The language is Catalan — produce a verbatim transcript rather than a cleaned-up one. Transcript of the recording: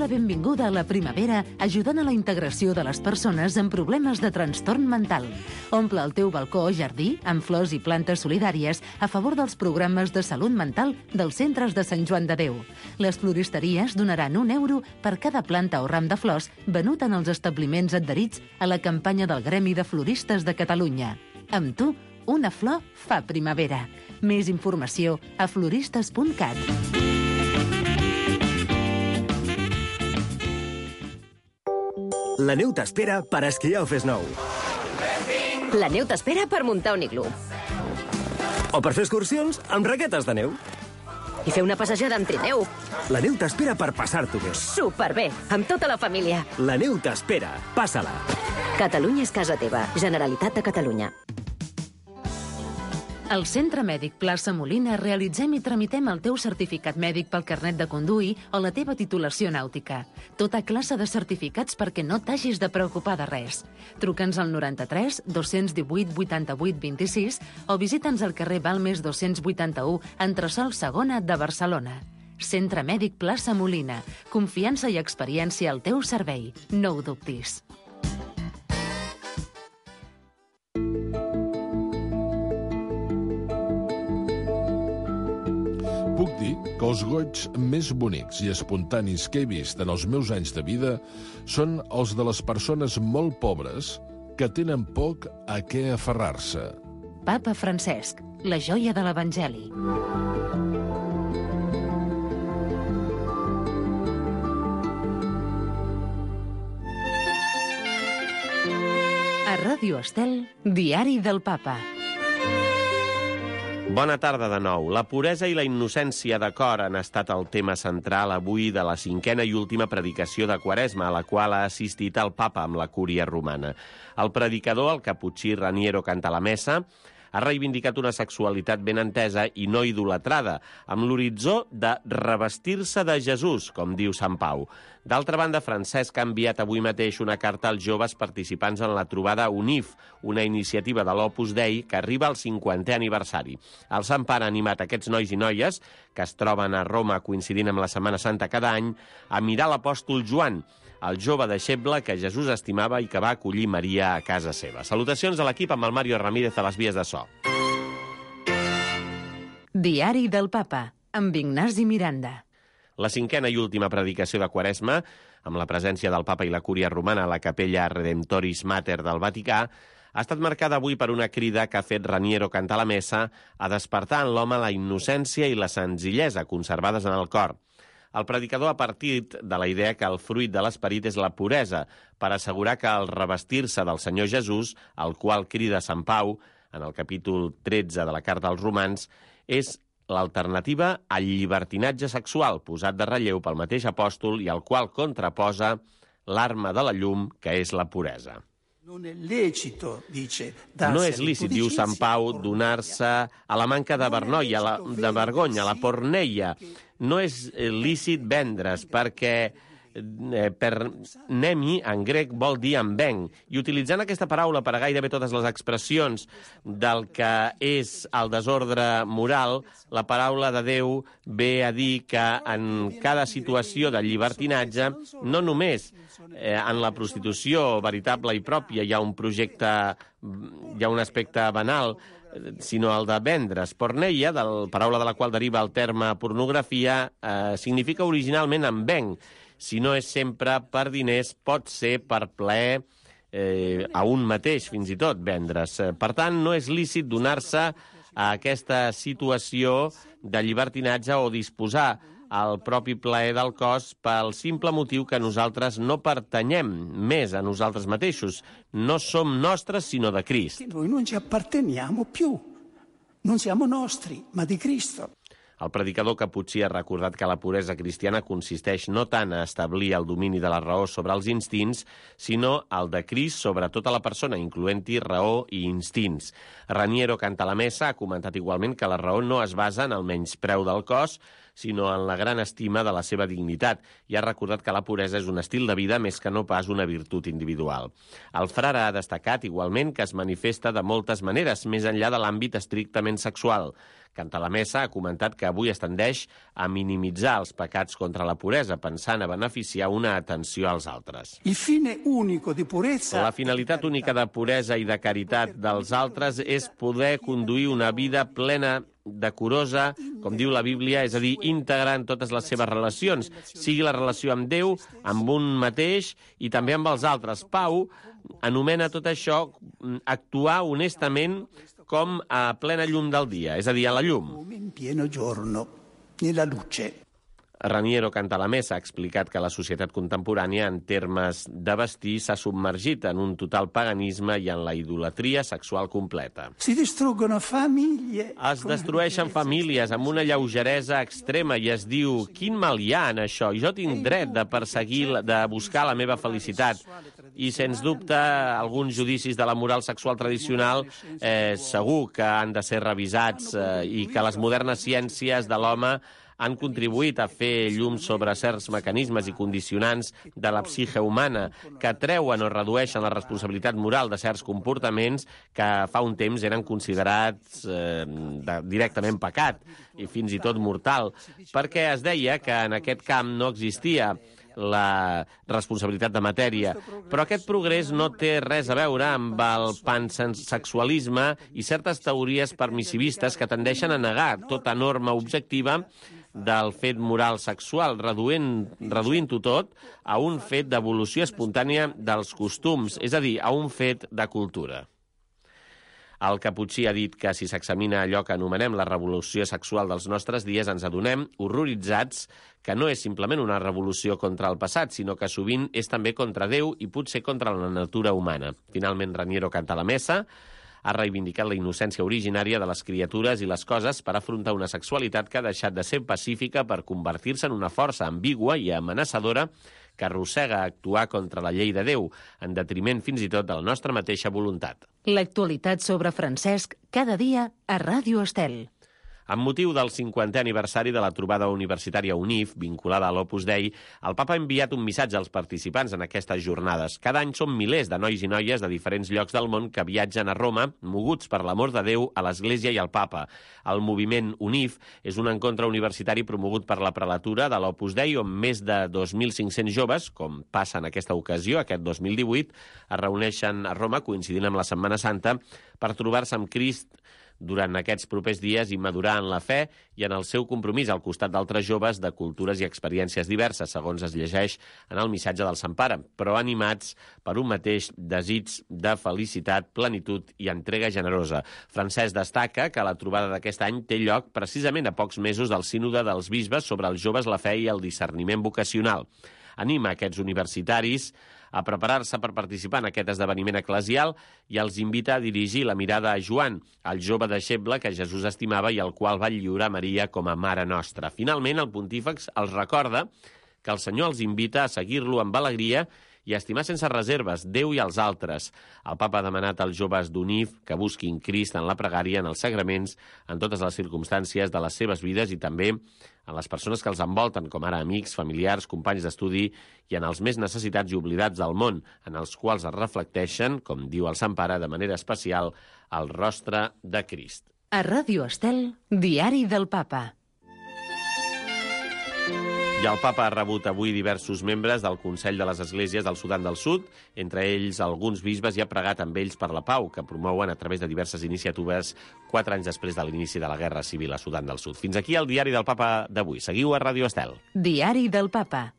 la benvinguda a la primavera ajudant a la integració de les persones amb problemes de trastorn mental. Omple el teu balcó o jardí amb flors i plantes solidàries a favor dels programes de salut mental dels centres de Sant Joan de Déu. Les floristeries donaran un euro per cada planta o ram de flors venut en els establiments adherits a la campanya del Gremi de Floristes de Catalunya. Amb tu, una flor fa primavera. Més informació a floristes punt cat. La neu t'espera per esquiar o fes nou. La neu t'espera per muntar un iglú. O per fer excursions amb raquetes de neu. I fer una passejada amb trineu. La neu t'espera per passar-t'ho bé. Superbé, amb tota la família. La neu t'espera. Passa-la. Catalunya és casa teva. Generalitat de Catalunya. Al Centre Mèdic Plaça Molina realitzem i tramitem el teu certificat mèdic pel carnet de conduir o la teva titulació nàutica. Tota classe de certificats perquè no t'hagis de preocupar de res. Truca'ns al noranta-tres dos-cents divuit vuitanta-vuit vint-i-sis o visita'ns al carrer Balmes dos-cents vuitanta-u, entresòl segona de Barcelona. Centre Mèdic Plaça Molina. Confiança i experiència al teu servei. No ho dubtis. Puc dir que els goigs més bonics i espontanis que he vist en els meus anys de vida són els de les persones molt pobres que tenen poc a què aferrar-se. Papa Francesc, la joia de l'Evangeli. A Ràdio Estel, Diari del Papa. Bona tarda de nou. La puresa i la innocència de cor han estat el tema central avui de la cinquena i última predicació de Quaresma, a la qual ha assistit el papa amb la cúria romana. El predicador, el caputxí Raniero Cantalamessa, ha reivindicat una sexualitat ben entesa i no idolatrada, amb l'horitzó de revestir-se de Jesús, com diu Sant Pau. D'altra banda, Francesc ha enviat avui mateix una carta als joves participants en la trobada UNIF, una iniciativa de l'Opus Dei que arriba al cinquantè aniversari. El Sant Pare ha animat aquests nois i noies, que es troben a Roma coincidint amb la Setmana Santa cada any, a mirar l'apòstol Joan, el jove deixeble que Jesús estimava i que va acollir Maria a casa seva. Salutacions a l'equip amb el Mario Ramírez a les vies de so. Diari del Papa, amb Ignasi Miranda. La cinquena i última predicació de Quaresma, amb la presència del papa i la cúria romana a la capella Redemptoris Mater del Vaticà, ha estat marcada avui per una crida que ha fet Raniero Cantalamessa a despertar en l'home la innocència i la senzillesa conservades en el cor. El predicador ha partit de la idea que el fruit de l'esperit és la puresa, per assegurar que el revestir-se del Senyor Jesús, al qual crida Sant Pau, en el capítol tretze de la Carta als Romans, és l'alternativa al llibertinatge sexual posat de relleu pel mateix apòstol i al qual contraposa l'arma de la llum, que és la puresa. No és lícit, diu Sant Pau, donar-se a la manca de vergonya, a la, de vergonya, a la porneia. No és lícit vendre's, perquè eh, per nemi en grec vol dir en venc. I utilitzant aquesta paraula per a gairebé totes les expressions del que és el desordre moral, la paraula de Déu ve a dir que en cada situació de llibertinatge, no només eh, en la prostitució veritable i pròpia hi ha un projecte, hi ha un aspecte banal, sinó el de vendre's. Porneia, de la paraula de la qual deriva el terme pornografia, eh, significa originalment en venc. Si no és sempre per diners, pot ser per plaer eh, a un mateix, fins i tot, vendre's. Per tant, no és lícit donar-se a aquesta situació de llibertinatge o disposar al propi plaer del cos pel simple motiu que nosaltres no pertanyem més a nosaltres mateixos. No som nostres, sinó de Crist. Noi non ci apparteniamo più. Non siamo nostri, ma di Cristo. El predicador caputxí ha recordat que la puresa cristiana consisteix no tant a establir el domini de la raó sobre els instints, sinó el de Crist sobre tota la persona, incloent-hi raó i instints. Raniero Cantalamessa ha comentat igualment que la raó no es basa en el menyspreu del cos, sinó en la gran estima de la seva dignitat, i ha recordat que la puresa és un estil de vida més que no pas una virtut individual. El frare ha destacat, igualment, que es manifesta de moltes maneres, més enllà de l'àmbit estrictament sexual. Cantalamessa ha comentat que avui es tendeix a minimitzar els pecats contra la puresa, pensant a beneficiar una atenció als altres. Il fine unico di purezza... La finalitat única de puresa i de caritat dels altres és poder conduir una vida plena, decorosa, com diu la Bíblia, és a dir, íntegra en totes les seves relacions, sigui la relació amb Déu, amb un mateix i també amb els altres. Pau anomena tot això actuar honestament com a plena llum del dia, és a dir, a la llum. In pieno giorno, nella luce. Raniero Cantalamessa ha explicat que la societat contemporània, en termes de vestir, s'ha submergit en un total paganisme i en la idolatria sexual completa. Si distruggono famiglie... Es destrueixen famílies amb una lleugeresa extrema i es diu, quin mal hi ha en això? Jo tinc dret de perseguir, de buscar la meva felicitat. I, sens dubte, alguns judicis de la moral sexual tradicional eh, segur que han de ser revisats eh, i que les modernes ciències de l'home han contribuït a fer llum sobre certs mecanismes i condicionants de la psique humana que treuen o redueixen la responsabilitat moral de certs comportaments que fa un temps eren considerats eh, de, directament pecat i fins i tot mortal, perquè es deia que en aquest camp no existia la responsabilitat de matèria. Però aquest progrés no té res a veure amb el pansexualisme i certes teories permissivistes que tendeixen a negar tota norma objectiva del fet moral sexual, reduint, reduint-ho tot a un fet d'evolució espontània dels costums, és a dir, a un fet de cultura. El Caputxí ha dit que si s'examina allò que anomenem la revolució sexual dels nostres dies, ens adonem, horroritzats, que no és simplement una revolució contra el passat, sinó que sovint és també contra Déu i potser contra la natura humana. Finalment, Raniero Cantalamessa ha reivindicat la innocència originària de les criatures i les coses per afrontar una sexualitat que ha deixat de ser pacífica per convertir-se en una força ambigua i amenaçadora que arrossega a actuar contra la llei de Déu, en detriment fins i tot de la nostra mateixa voluntat. L'actualitat sobre Francesc, cada dia a Ràdio Estel. Amb motiu del cinquantè aniversari de la trobada universitària UNIF, vinculada a l'Opus Dei, el papa ha enviat un missatge als participants en aquestes jornades. Cada any són milers de nois i noies de diferents llocs del món que viatgen a Roma, moguts per l'amor de Déu a l'Església i al papa. El moviment UNIF és un encontre universitari promogut per la prelatura de l'Opus Dei, on més de dos mil cinc-cents joves, com passa en aquesta ocasió, aquest dos mil divuit, es reuneixen a Roma, coincidint amb la Setmana Santa, per trobar-se amb Crist durant aquests propers dies i madurar en la fe i en el seu compromís al costat d'altres joves de cultures i experiències diverses, segons es llegeix en el missatge del Sant Pare, però animats per un mateix desig de felicitat, plenitud i entrega generosa. Francesc destaca que la trobada d'aquest any té lloc precisament a pocs mesos del sínode dels bisbes sobre els joves, la fe i el discerniment vocacional. Anima aquests universitaris a preparar-se per participar en aquest esdeveniment eclesial i els invita a dirigir la mirada a Joan, el jove deixeble que Jesús estimava i al qual va lliurar Maria com a mare nostra. Finalment, el pontífex els recorda que el Senyor els invita a seguir-lo amb alegria i a estimar sense reserves Déu i els altres. El papa ha demanat als joves d'UNIF que busquin Crist en la pregària, en els sagraments, en totes les circumstàncies de les seves vides i també en les persones que els envolten, com ara amics, familiars, companys d'estudi i en els més necessitats i oblidats del món, en els quals es reflecteixen, com diu el Sant Pare, de manera especial, el rostre de Crist. A Ràdio Estel, Diari del Papa. I el papa ha rebut avui diversos membres del Consell de les Esglésies del Sudan del Sud, entre ells alguns bisbes, i ha pregat amb ells per la pau, que promouen a través de diverses iniciatives quatre anys després de l'inici de la Guerra Civil a Sudan del Sud. Fins aquí el Diari del Papa d'avui. Seguiu a Ràdio Estel. Diari del Papa.